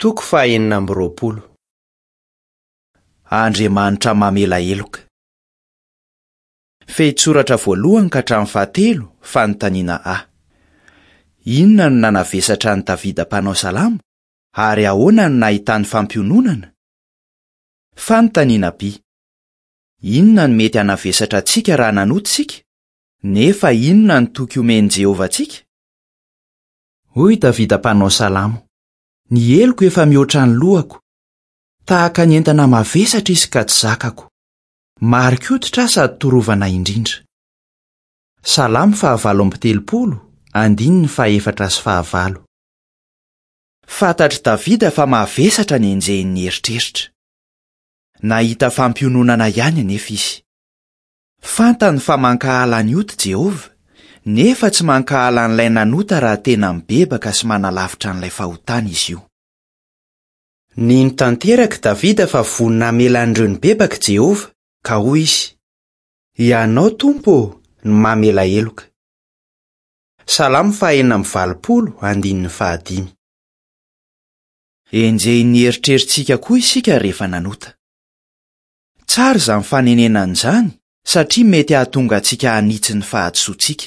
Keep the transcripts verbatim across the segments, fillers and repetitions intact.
Toko fahenina amby roapolo. Andriamanitra mamela heloka. Fehintsoratra voalohany ka hatramin'ny fahatelo, fanontaniana A. Inona no nanavesatra an'i Davida mpanao salamo ary ahoana no nahitany fampiononana? Fanontaniana B. Inona no mety hanavesatra antsika raha nanota isika? Nefa inona no toky omen'i Jehovah antsika? Hoy Davida mpanao salamo: Ny heloko efa mihoatra ny lohako. Tahaka ny entana mavesatra izy ka tsy zakako. Mari-koditra aho sady torovana indrindra. Salamo fahavalo amby telopolo, andininy fahefatra sy fahavalo. Fantatr'i Davida fa mavesatra ny enjehin'ny eritreritra. Nahita fampiononana ihany anefa izy. Fantany fa mankahala ny ota Jehovah, nefa tsy mankahala an'ilay nanota raha tena mibebaka sy manalavitra an'ilay fahotana izy io. Nino tanteraka Davida fa vonona hamela an'ireo nibebaka Jehovah, ka hoy izy: Ianao Tompo no mamela heloka. Salamo fahenina amby valopolo, andininy fahadimy. Enjehin'ny eritreritsika koa isika rehefa nanota. Tsara izany fanenenana izany satria mety hahatonga antsika hanitsy ny fahadisoantsika.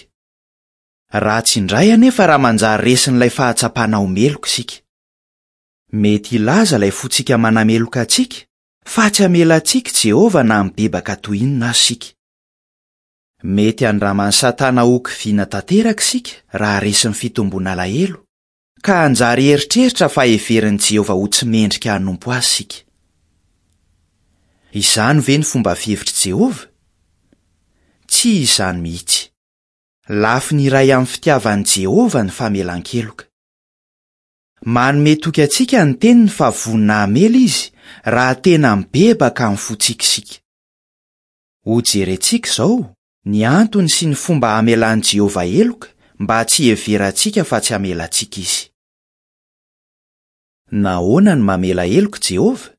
Ratsy indray anefa raha manjary resin'ilay fahatsapana ho meloka isika. Mety hilaza ilay fontsika manameloka antsika fa tsy hamela antsika Jehovah na mibebaka toy inona aza isika. Mety handraman'i Satana ho kiviana tanteraka isika raha resin'ny fitomboana alahelo, ka hanjary eritreritra fa heverin'i Jehovah ho tsy mendrika hanompo azy isika. Izany ve ny fomba fihevitr'i Jehovah? Tsy izany mihitsy. Lafiny iray amin'ny fitiavan'i Jehovah ny famelan-keloka. Manome toky antsika ny teniny fa vonona hamela izy raha tena mibebaka amin'ny fontsika isika. Hojerentsika izao ny antony sy ny fomba hamelan'i Jehovah heloka mba tsy hiheverantsika fa tsy hamela antsika izy. Nahoana no mamela heloka Jehovah?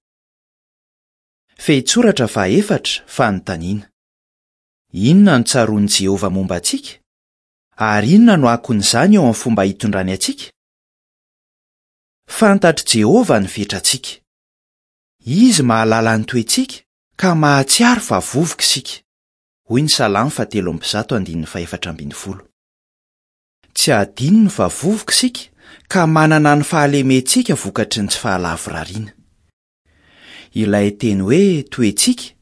Fehintsoratra fahaefatra, fanontaniana. Inona no tsaroan'i Jehovah momba antsika? Ary inona no akon'izany eo amin'ny fomba hitondrany antsika? Fantatr'i Jehovah ny fetrantsika. Izy mahalala ny toetsika ka mahatsiaro fa vovoka isika. Hoy ny Salamo fahatelo amby zato andininy fahefatra ambin'ny folo. Tsy hadinony fa vovoka isika ka manana ny fahalementsika vokatry ny tsy fahalavorariana. Ilay teny hoe toetsika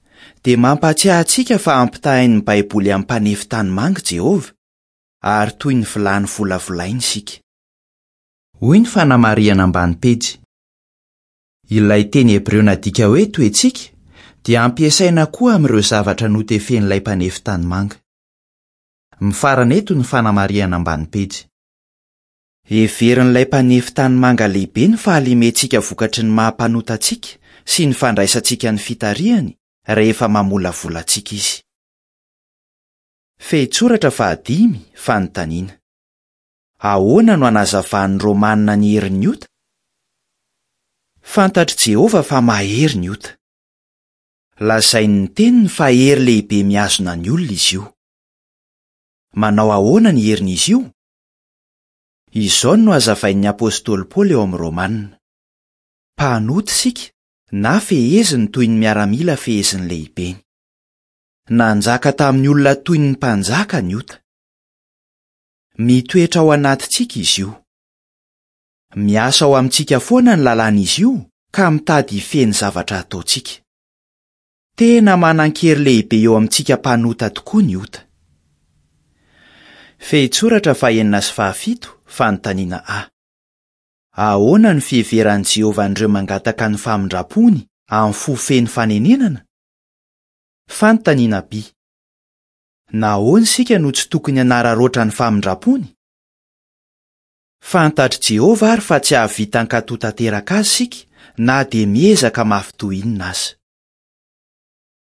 dia mampatsiahy antsika fa ampitahain'ny Baiboly amin'ny mpanefy tanimanga Jehovah, ary toy ny vilany volavolaina isika. Hoy ny fanamarihana ambany pejy. Ilay teny hebreo nadika hoe toetsika dia ampiasaina koa amin'ireo zavatra notefen'ilay mpanefy tanimanga. Mifarana eto ny fanamarihana ambany pejy. Heverin'ilay mpanefy tanimanga lehibe ny fahalementsika vokatry ny maha-mpanota antsika sy ny fandraisantsika ny fitarihany rehefa mamolavola antsika izy. Fehintsoratra fahadimy, fanontaniana. Ahoana no anazavan'ny Romanina ny herin'ny ota? Fantatr'i Jehovah fa mahery ny ota. Lazain'ny teniny fa hery lehibe mihazona ny olona izy io. Manao ahoana ny herin'izy io? Izao no hazavain'ny apostoly Paoly eo amin'ny Romanina. Mpanota isika na feheziny toy ny miaramila fehezin'ny lehibeny. Nanjaka tamin'ny olona toy ny mpanjaka ny ota. Mitoetra ao anatintsika izy io. Miasa ao amintsika foana ny lalàn'izy io ka mitady hifehy ny zavatra ataontsika. Tena manan-kery lehibe eo amintsika mpanota tokoa ny ota. Fehintsoratra fahenina sy fahafito, fanontaniana A. Ahoana ny fiheveran'i Jehovah an'ireo mangataka ny famindrampony amin'ny fo feno fanenenana? Fanontaniana B. Nahoana isika no tsy tokony hanararaotra ny famindrampony? Fantatr'i Jehovah ary fa tsy hahavita hankatò tanteraka azy isika na dia miezaka mafy toy inona aza.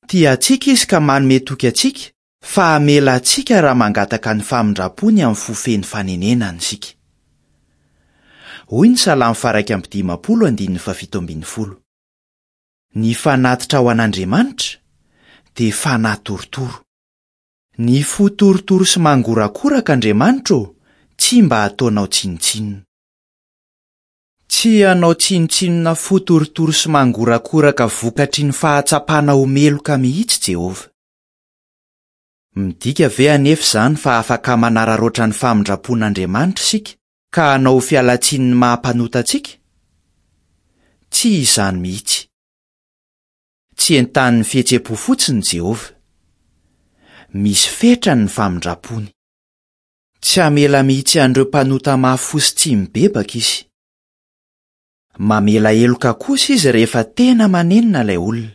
Tia antsika izy ka manome toky antsika fa hamela antsika raha mangataka ny famindrampony amin'ny fo feno fanenenana isika. Hoy ny Salamo faha-iraika amby dimampolo andininy fahafito ambin'ny folo. Ny fanatitra ho an'Andriamanitra dia fanahy torotoro. Ny fo torotoro sy mangorakoraka Andriamanitra ô, tsy mba ataonao tsinontsinona. Tsy hanao tsinontsinona fo torotoro sy mangorakoraka vokatry ny fahatsapana ho meloka mihitsy Jehovah. Midika ve anefa izany fa afaka manararaotra ny famindram-pon'Andriamanitra isika ka hanao ho fialan-tsiny ny maha-mpanota antsika? Tsy izany mihitsy. Tsy entanin'ny fihetseham-po fotsiny Jehovah. Misy fetrany ny famindram-pony. Tsy hamela mihitsy an'ireo mpanota mafy fo sy tsy mibebaka izy. Mamela heloka kosa izy rehefa tena manenina ilay olona.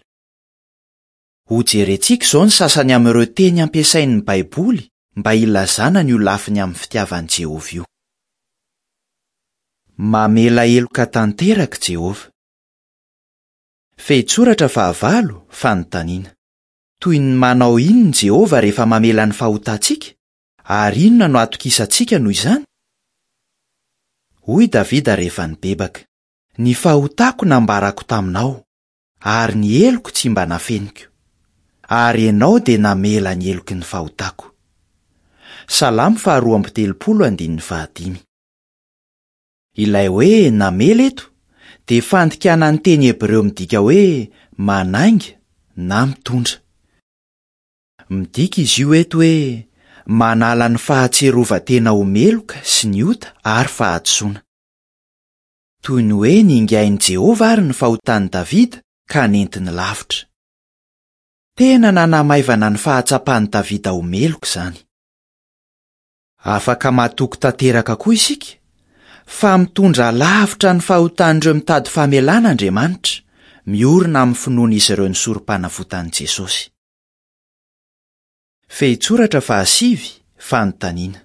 Hojerentsika izao ny sasany amin'ireo teny ampiasain'ny Baiboly mba hilazana ny ho lafiny amin'ny fitiavan'i Jehovah io. Mamela heloka tanteraka Jehovah. Fehintsoratra fahavalo, fanontaniana. Toy ny manao inona Jehovah rehefa mamela ny fahotantsika? Ary inona no atokisantsika noho izany? Hoy Davida rehefa nibebaka: Ny fahotako nambarako taminao, ary ny heloko tsy mba nafeniko. Ary ianao dia namela ny heloky ny fahotako. Salamo faharoa amby telopolo andininy fahadimy. Ilay hoe namela eto dia fandikana ny teny hebreo midika hoe manainga na mitondra. Midika izy io eto hoe manala ny fahatsiarovan-tena ho meloka sy ny ota ary fahadisoana. Toy ny hoe ningain'i Jehovah ary ny fahotan'i Davida ka nentiny lavitra. Tena nanamaivana ny fahatsapan'i Davida ho meloka izany. Afaka matoky tanteraka koa isika fa mitondra lavitra ny fahotan'ireo mitady famelana Andriamanitra, miorina amin'ny finoan'izy ireo ny sorom-panavotan'i Jesosy. Fehintsoratra fahasivy, fanontaniana.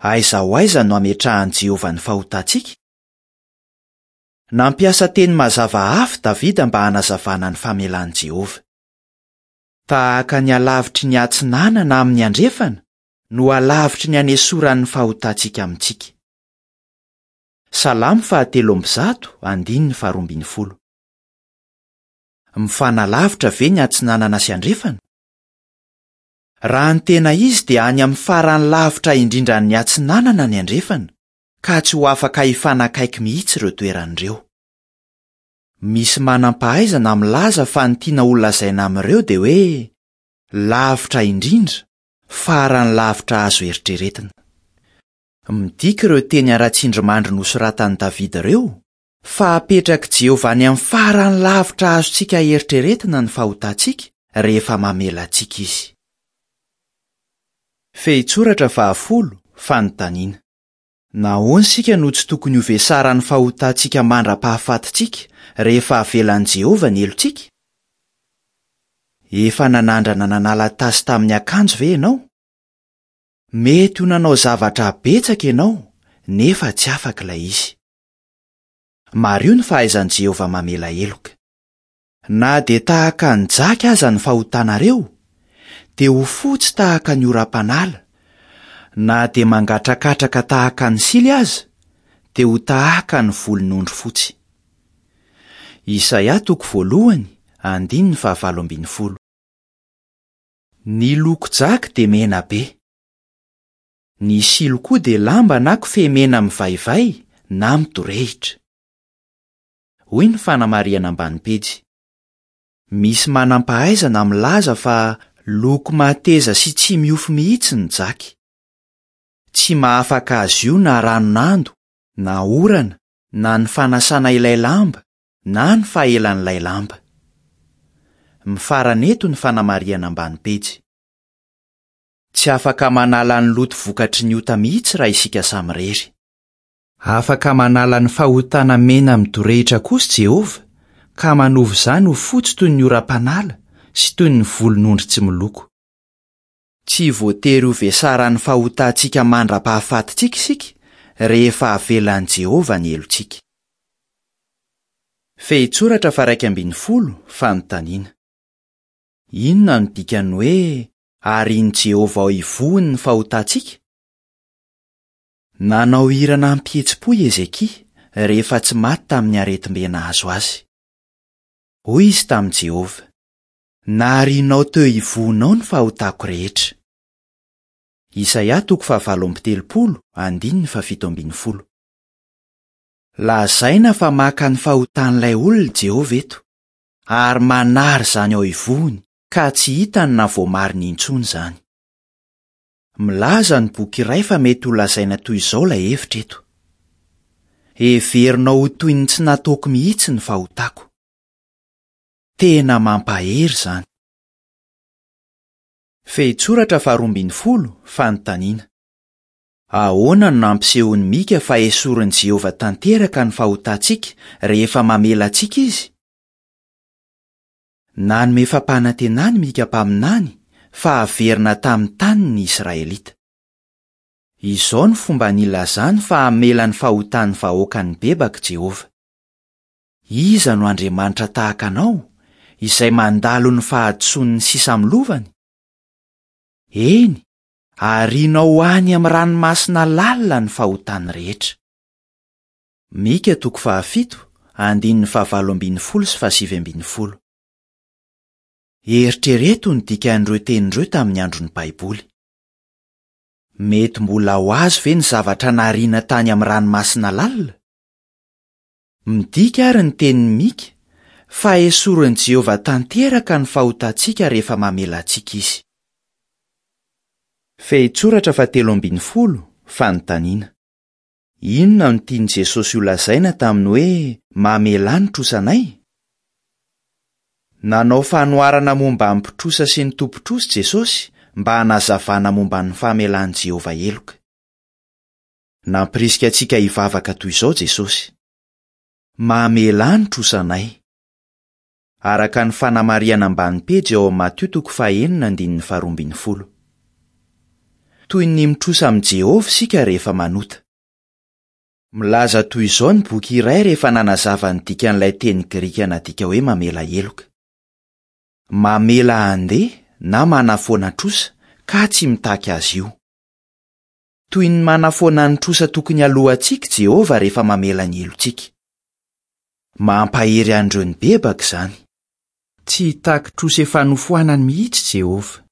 Aiza ho aiza no ametrahan'i Jehovah ny fahotantsika? Nampiasa teny mazava hafa Davida mba hanazavana ny famelan'i Jehovah. Tahaka ny halavitry ny atsinanana amin'ny andrefana no halavitry ny anesoran'ny fahotantsika amintsika. Salamo fahatelo amby zato, andininy faharoa ambin'ny folo. Mifanalavitra ve ny atsinanana sy andrefana? Raha ny tena izy dia any amin'ny farany lavitra indrindra ny atsinanana ny andrefana, ka tsy ho afaka hifanakaiky mihitsy ireo toeran'ireo. Misy manam-pahaizana milaza fa ny tiana ho lazaina amin'ireo dia hoe lavitra indrindra, farany lavitra azo eritreretina. Midika ireo teny ara-tsindrimandry nosoratan'i Davida ireo fa apetrak'i Jehovah any amin'ny farany lavitra azontsika eritreretina ny fahotantsika rehefa mamela antsika izy. Fehintsoratra fahafolo, fanontaniana. Nahoana isika no tsy tokony ho vesaran'ny fahotantsika mandra-pahafatintsika rehefa avelan'i Jehovah ny helotsika? Efa nanandrana nanala tasy tamin'ny akanjo ve ianao? Mety ho nanao zavatra betsaka ianao, nefa tsy afaka ilay izy. Mariho ny fahaizan'i Jehovah mamela heloka. Na dia tahaka ny jaky aza ny fahotanareo, dia ho fotsy tahaka ny oram-panala. Na dia mangatrakatraka tahaka ny sily aza, dia ho tahaka ny volon'ondry fotsy. Isaia toko voalohany, andininy fahavalo ambin'ny folo. Ny loko jaky dia mena be. Ny silo koa dia lamba na kofehy mena mivaivay na midorehitra. Hoy ny fanamarihana ambany pejy. Misy manam-pahaizana milaza fa loko mateza sy tsy miofo mihitsy ny jaky. Tsy mahafaka azy io na ranon'ando, na orana, na ny fanasana ilay lamba, na ny fahelan'ilay lamba. Mifarana eto ny fanamarihana ambany pejy. Tsy afaka manala ny loto vokatry ny ota mihitsy raha isika samirery. Afaka manala ny fahotana mena midorehitra kosa Jehovah, ka manova izany ho fotsy toy ny oram-panala sy toy ny volon'ondry tsy miloko. Tsy voatery ho vesaran'ny fahotantsika mandra-pahafatintsika isika rehefa avelan'i Jehovah ny helotsika. Fehintsoratra faha-iraika ambin'ny folo, fanontaniana. Inona no dikan'ny hoe arian'i Jehovah ao ivohony ny fahotantsika? Nanao hira nampihetsi-po i Hezekia rehefa tsy maty tamin'ny aretim-be nahazo azy. Hoy izy tamin'i Jehovah: Narianao teo ivohonao ny fahotako rehetra. Isaia toko fahavalo amby telopolo, andininy fahafito ambin'ny folo. Lazaina fa maka ny fahotan'ilay olona Jehovah eto, ary manary izany ao ivohony ka tsy hitany na voamariny intsony izany. Milaza ny boky iray fa mety ho lazaina toy izao ilay hevitra eto: Heverinao ho toy ny tsy nataoko mihitsy ny fahotako. Tena mampahery izany. Fehintsoratra faharoa ambin'ny folo, fanontaniana. Ahoana no nampisehoan'i Mika fa esorin'i Jehovah tanteraka ny fahotantsika rehefa mamela antsika izy? Nanome fampanantenana Mika mpaminany fa haverina tamin'ny taniny ny Israelita. Izao no fomba nilazany fa hamela ny fahotan'ny vahoaka nibebaka Jehovah. Iza no Andriamanitra tahaka anao, izay mandalo ny fahadisoan'ny sisa amin'ny lovany? Eny, arianao any amin'ny ranomasina lalina ny fahotany rehetra. Mika toko fahafito, andininy fahavalo ambin'ny folo sy fahasivy ambin'ny folo. Eritrereto ny dikan'ireo teny ireo tamin'ny andron'ny Baiboly. Mety mbola ho azo ve ny zavatra nariana tany amin'ny ranomasina lalina? Midika ary ny tenin'i Mika fa esorin'i Jehovah tanteraka ny fahotantsika rehefa mamela antsika izy. Fehintsoratra fahatelo ambin'ny folo, fanontaniana. Inona no tian'i Jesosy ho lazaina tamin'ny hoe mamelà ny trosanay? Nanao fanoharana momba ny mpitrosa sy ny tompon-trosa Jesosy mba hanazavana momba ny famelan'i Jehovah heloka. Nampirisika antsika hivavaka toy izao Jesosy: Mamelà ny trosanay. Araka ny fanamarihana ambany pejy ao amin'ny Matio toko fahenina andininy faharoa ambin'ny folo. Toy ny mitrosa amin'i Jehovah isika rehefa manota. Milaza toy izao ny boky iray rehefa nanazava ny dikan'ilay teny grika nadika hoe mamela heloka. Mamela handeha na manafoana trosa ka tsy mitaky azy io. Toy ny manafoana ny trosa tokony alohantsika Jehovah rehefa mamela ny helotsika. Mampahery an'ireo nibebaka izany. Tsy hitaky trosa efa nofoanany mihitsy Jehovah.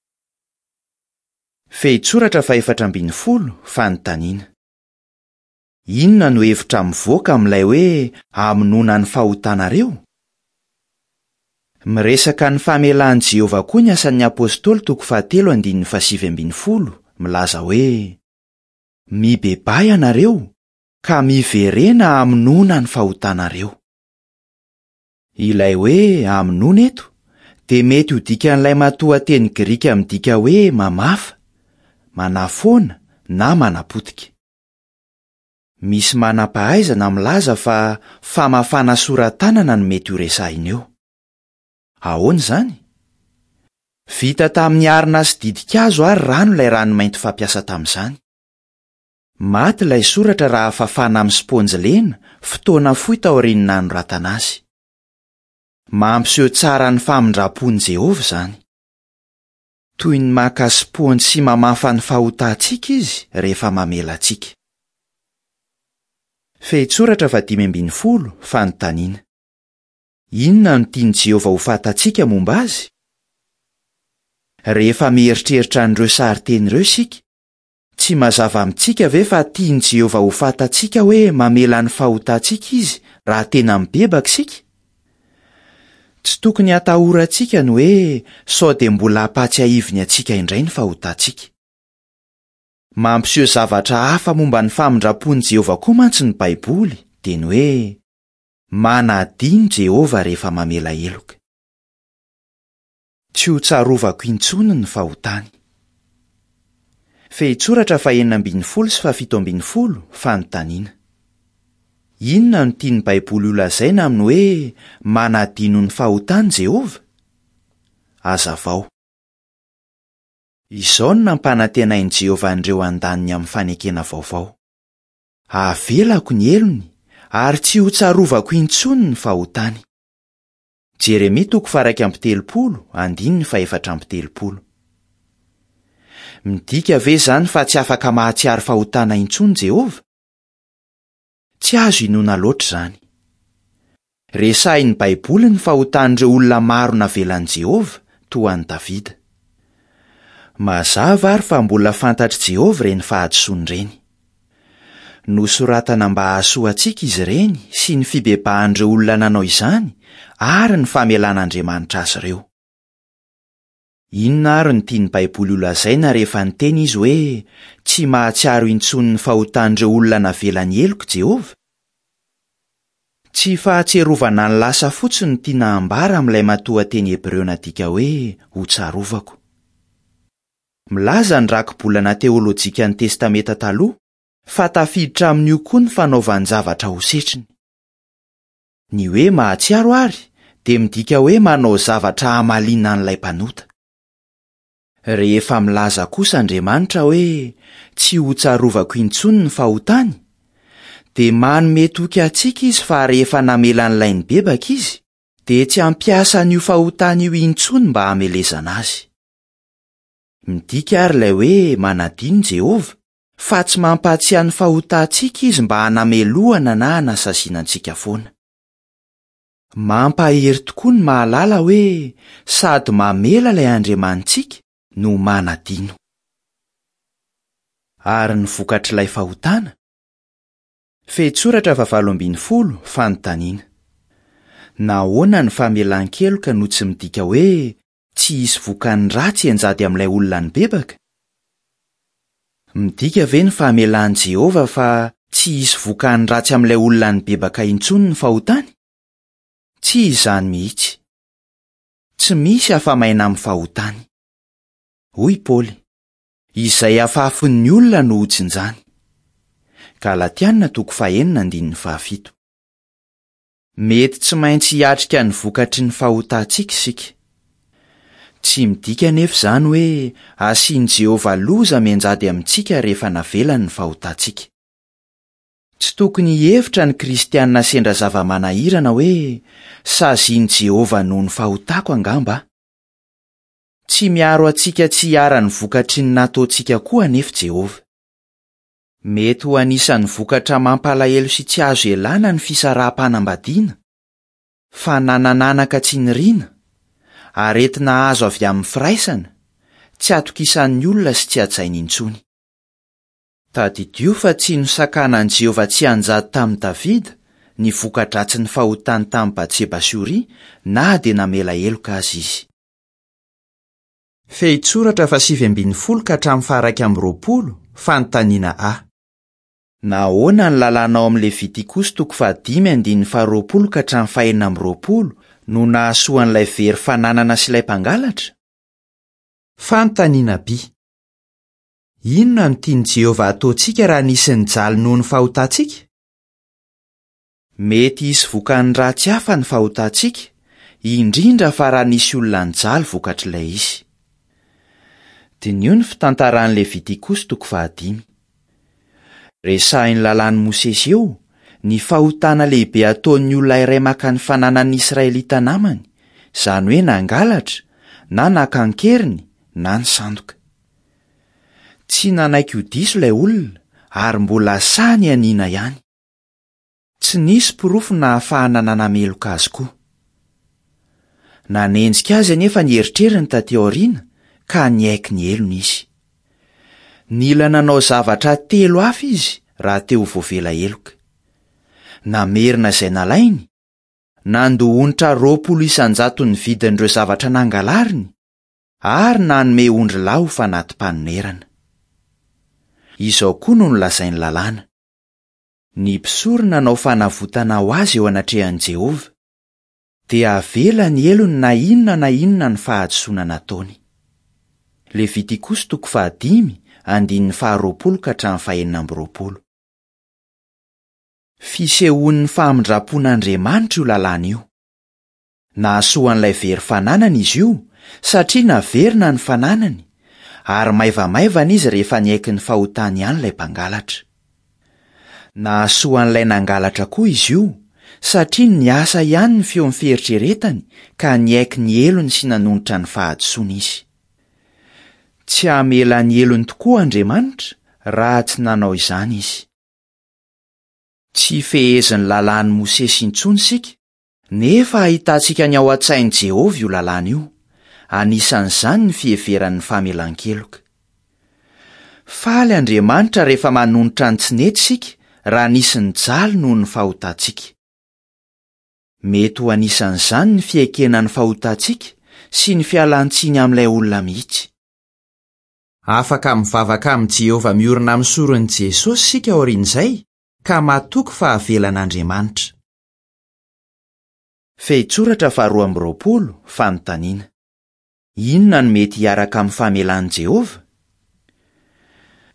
Fehintsoratra fahefatra ambin'ny folo, fanontaniana. Inona no hevitra mivoaka amin'ilay hoe hamonoana ny fahotanareo? Miresaka ny famelan'i Jehovah koa ny asan'ny Apôstôly toko fahatelo andininy fahasivy ambin'ny folo, milaza hoe: Mibebaha ianareo ka miverena hamonoana ny fahotanareo. Ilay hoe hamonoana eto dia mety ho dikan'ilay matoanteny grika midika hoe mamafa, manafoana na manapotika. Misy manam-pahaizana milaza fa famafana sora-tanana no mety ho resahina eo. Ahoana izany? Vita tamin'ny arina sy ditin-kazo ary rano ilay ranomainty fampiasa tamin'izany. Maty ilay soratra raha fafana amin'ny spaonjy lena fotoana fohy taorian'ny nanoratana azy. Mampiseho tsara ny famindram-pon'i Jehovah izany. Toy ny maka spaonjy sy mamafa ny fahotantsika izy rehefa mamela antsika. Fehintsoratra fahadimy ambin'ny folo, fanontaniana. Inona no tian'i Jehovah ho fantatsika momba azy? Rehefa mieritreritra an'ireo sarin-teny ireo isika, tsy mazava amintsika ve fa tian'i Jehovah ho fantatsika hoe mamela ny fahotantsika izy raha tena mibebaka isika? Tsy tokony hatahorantsika ny hoe sao dia mbola hampatsiahiviny antsika indray ny fahotantsika. Mampiseho zavatra hafa momba ny famindram-pon'i Jehovah koa mantsy ny Baiboly, dia ny hoe manadino Jehovah rehefa mamela heloka. Tsy ho tsarovako intsony ny fahotany. Fehintsoratra fahenina ambin'ny folo sy fahafito ambin'ny folo, fanontaniana. Inona no tian'ny Baiboly ho lazaina amin'ny hoe manadino ny fahotany Jehovah? Hazavao. Izao no nampanantenain'i Jehovah an'ireo andaniny amin'ny fanekena vaovao: Havelako ny helony ary tsy ho tsarovako intsony ny fahotany. Jeremia toko faha-iraika amby telopolo, andininy fahefatra amby telopolo. Midika ve izany fa tsy afaka mahatsiaro fahotana intsony Jehovah? Tsy azo inoana loatra izany. Resahin'ny Baiboly ny fahotan'ireo olona maro navelan'i Jehovah, toa an'i Davida. Mazava ary fa mbola fantatr'i Jehovah ireny fahadisoany ireny. Nosoratana mba hahasoa antsika izy ireny sy ny fibebahan'ireo olona nanao izany ary ny famelan'Andriamanitra azy ireo. Inona ary no tian'ny Baiboly holazaina rehefa niteny izy hoe tsy mahatsiaro intsony ny fahotan'ireo olona navelany heloka Jehovah? Tsy fahatsiarovana ny lasa fotsiny no tiana ambara amin'ilay matoanteny hebreo nadika hoe hotsarovako. Milaza ny rakibolana teolojikan'ny Testamenta Taloha fa tafiditra amin'io koa ny fanaovan-javatra ho setriny. Ny hoe mahatsiaro ary dia midika hoe manao zavatra hamaliana an'ilay mpanota. Rehefa milaza kosa Andriamanitra hoe tsy hotsarovako intsony ny fahotany, dia manome toky antsika izy fa rehefa namela an'ilay nibebaka izy, dia tsy hampiasa an'io fahotany io intsony mba hamelezana azy. Midika ary ilay hoe manadino Jehovah fa tsy mampahatsiahy ny fahotantsika izy mba hanamelohana na hanasaziana antsika foana. Mampahery tokoa ny mahalala hoe sady mamela ilay Andriamanitsika no manadino. Ary ny vokatr'ilay fahotana? Fehintsoratra fahavalo ambin'ny folo, fanontaniana. Nahoana ny famelan-keloka no tsy midika hoe tsy hisy vokany ratsy hianjady amin'ilay olona nibebaka? Midika ve ny famelan'i Jehovah fa tsy hisy vokany ratsy amin'ilay olona nibebaka intsony ny fahotany? Tsy izany mihitsy. Tsy misy afa-maina amin'ny fahotany. Hoy Paoly, izay afafin'ny olona no hojinjany. Galatiana toko fahenina andininy fahafito. Mety tsy maintsy hiatrika ny vokatry ny fahotantsika isika. Tsy midika anefa izany hoe asian'i Jehovah loza mianjady amintsika rehefa navelany ny fahotantsika. Tsy tokony hihevitra ny kristianina sendra zava-manahirana hoe sazian'i Jehovah noho ny fahotako angamba. Tsy miaro antsika tsy hiharan'ny vokatry ny nataontsika koa anefa Jehovah. Mety ho anisan'ny vokatra mampalahelo sy tsy azo ialana ny fisaraham-panambadiana, fananananaka tsy niriana, aretina azo avy amin'ny firaisana, tsy atokisan'ny olona sy tsy hajainy intsony. Tadidio fa tsy nosakanan'i Jehovah tsy hanjady tamin'i Davida ny voka-dratsin'ny fahotany tamin'i Batseba sy Oria na dia namela heloka azy izy. Fehintsoratra fahasivy ambin'ny folo ka hatramin'ny faha-iraika amby roapolo, fanontaniana A. Nahoana ny lalàna ao amin'ny Levitikosy toko fahadimy andininy faharoapolo ka hatramin'ny fahenina amby roapolo no nahasoa an'ilay very fananana sy ilay mpangalatra? Fanontaniana B. Inona no tian'i Jehovah hataontsika raha nisy nijaly noho ny fahotantsika? Mety hisy vokany ratsy hafa ny fahotantsika, indrindra fa raha nisy olona nijaly vokatr'ilay izy. Diniho ny fitantaran'ny Levitikosy toko fahadimy. Resahin'ny lalàn'i Mosesy eo ny fahotana lehibe ataon'ny olona iray maka ny fananan'ny Israelita namany, izany hoe nangalatra, na naka an-keriny, na nisandoka. Tsy nanaiky ho diso ilay olona ary mbola sahy nianiana ihany. Tsy nisy porofo nahafahana nanameloka azy koa. Nanenjika azy anefa ny eritreriny taty aoriana ka niaiky ny helony izy. Nila nanao zavatra telo hafa izy raha te ho voavela heloka. Namerina izay nalainy, nandoa onitra roapolo isan-jato ny vidin'ireo zavatra nangalariny, ary nanome ondrilahy ho fanati-panonerana. Izao koa no nolazain'ny lalàna. Ny mpisorona nanao fanavotana ho azy eo anatrehan'i Jehovah, dia avela ny helony na inona na inona ny fahadisoana nataony. Levitikosy toko fahadimy andininy faharoapolo ka hatramin'ny fahenina amby roapolo. Fisehoan'ny famindram-pon'Andriamanitra io lalàna io. Nahasoa an'ilay very fananana izy io satria naverina ny fananany, ary maivamaivana izy rehefa niaiky ny fahotany ihany ilay mpangalatra. Nahasoa an'ilay nangalatra koa izy io satria niasa ihany ny feon'ny fieritreretany ka niaiky ny helony sy nanonitra ny fahadisoana izy. Tsy hamela ny helony tokoa Andriamanitra raha tsy nanao izany izy. Tsy fehezin'ny lalàn'i Mosesy intsony isika, nefa ahitantsika ny ao an-tsain'i Jehovah io lalàna io, anisan'izany ny fiheveran'ny famelan-keloka. Faly Andriamanitra rehefa manonitra ny tsy nety isika raha nisy nijaly noho ny fahotantsika. Mety ho anisan'izany ny fiekena ny fahotantsika sy ny fialan-tsiny amin'ilay olona mihitsy. Afaka mivavaka amin'i Jehovah miorina amin'ny soron'i Jesosy isika aorian'izay ka matoky fa avelan'Andriamanitra. Fehintsoratra faharoa amby roapolo, fanontaniana. Inona no mety hiaraka amin'ny famelan'i Jehovah?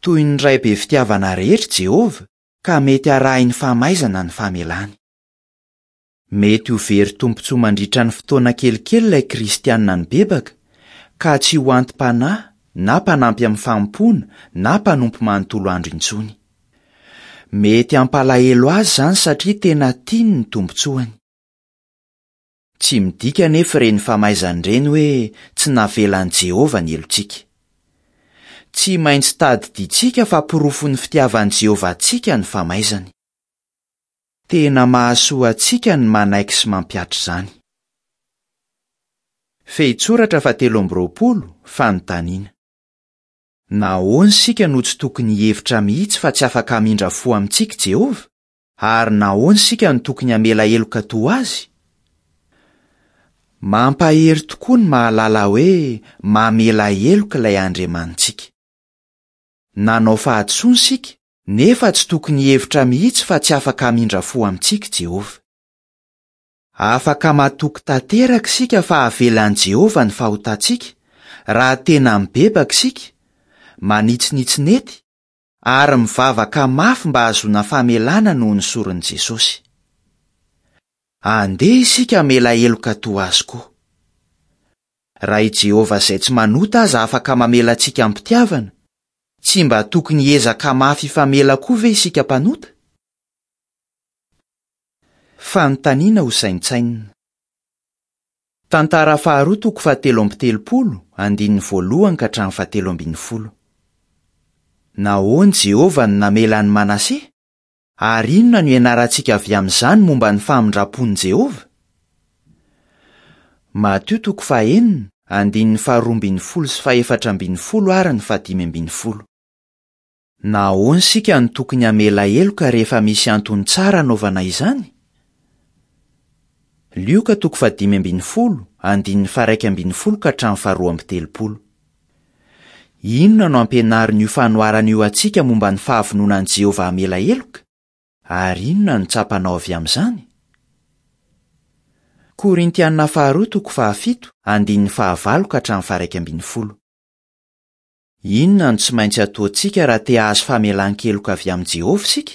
Toy ny ray be fitiavana rehetra Jehovah ka mety arahiny famaizana ny famelany. Mety ho very tombontsoa mandritra ny fotoana kelikely ilay kristianina nibebaka ka tsy ho anti-panahy na mpanampy amin'ny fanompoana na mpanompo manontolo andro intsony. Mety hampalahelo azy izany satria tena tiany ny tombontsoany. Tsy midika anefa ireny famaizana ireny hoe tsy navelan'i Jehovah ny helotsika. Tsy maintsy tadidintsika fa porofon'ny fitiavan'i Jehovah antsika ny famaizany. Tena mahasoa antsika ny manaiky sy mampihatra izany. Fehintsoratra fahatelo amby roapolo, fanontaniana. Nahoana isika no tsy tokony hihevitra mihitsy fa tsy afaka hamindra fo amintsika Jehovah? Ary nahoana isika no tokony hamela heloka toa azy? Mampahery tokoa ny mahalala hoe mamela heloka ilay Andriamanitsika. Nanao fahadisoana isika, nefa tsy tokony hihevitra mihitsy fa tsy afaka hamindra fo amintsika Jehovah. Afaka matoky tanteraka isika fa avelan'i Jehovah ny fahotantsika raha tena mibebaka isika, manitsinitsy nety ary mivavaka mafy mba hahazoana famelana noho ny soron'i Jesosy. Andeha isika hamela heloka toa azy koa. Raha i Jehovah izay tsy manota aza afaka mamela antsika am-pitiavana, tsy mba tokony hiezaka mafy hifamela koa ve isika mpanota? Fanontaniana ho saintsainina. Tantara faharoa toko fahatelo amby telopolo, andininy voalohany ka hatramin'ny fahatelo ambin'ny folo. Nahoana Jehovah no namela an'i Manase? Ary inona no ianarantsika avy amin'izany momba ny famindram-pon'i Jehovah? Matio toko fahenina, andininy faharoa ambin'ny folo sy fahefatra ambin'ny folo ary ny fahadimy ambin'ny folo. Nahoana isika no tokony hamela heloka rehefa misy antony tsara hanaovana izany? Lioka toko fahadimy ambin'ny folo, andininy faharaika ambin'ny folo ka hatramin'ny faharoa amby telopolo. Inona no ampianarin'io fanoharana io antsika momba ny fahavononan'i Jehovah hamela heloka? Ary inona no tsapanao avy amin'izany? Korintiana faharoa toko fahafito, andininy fahavalo ka hatramin'ny faharaika ambin'ny folo. Inona no tsy maintsy ataontsika raha te hahazo famelan-keloka avy amin'i Jehovah isika?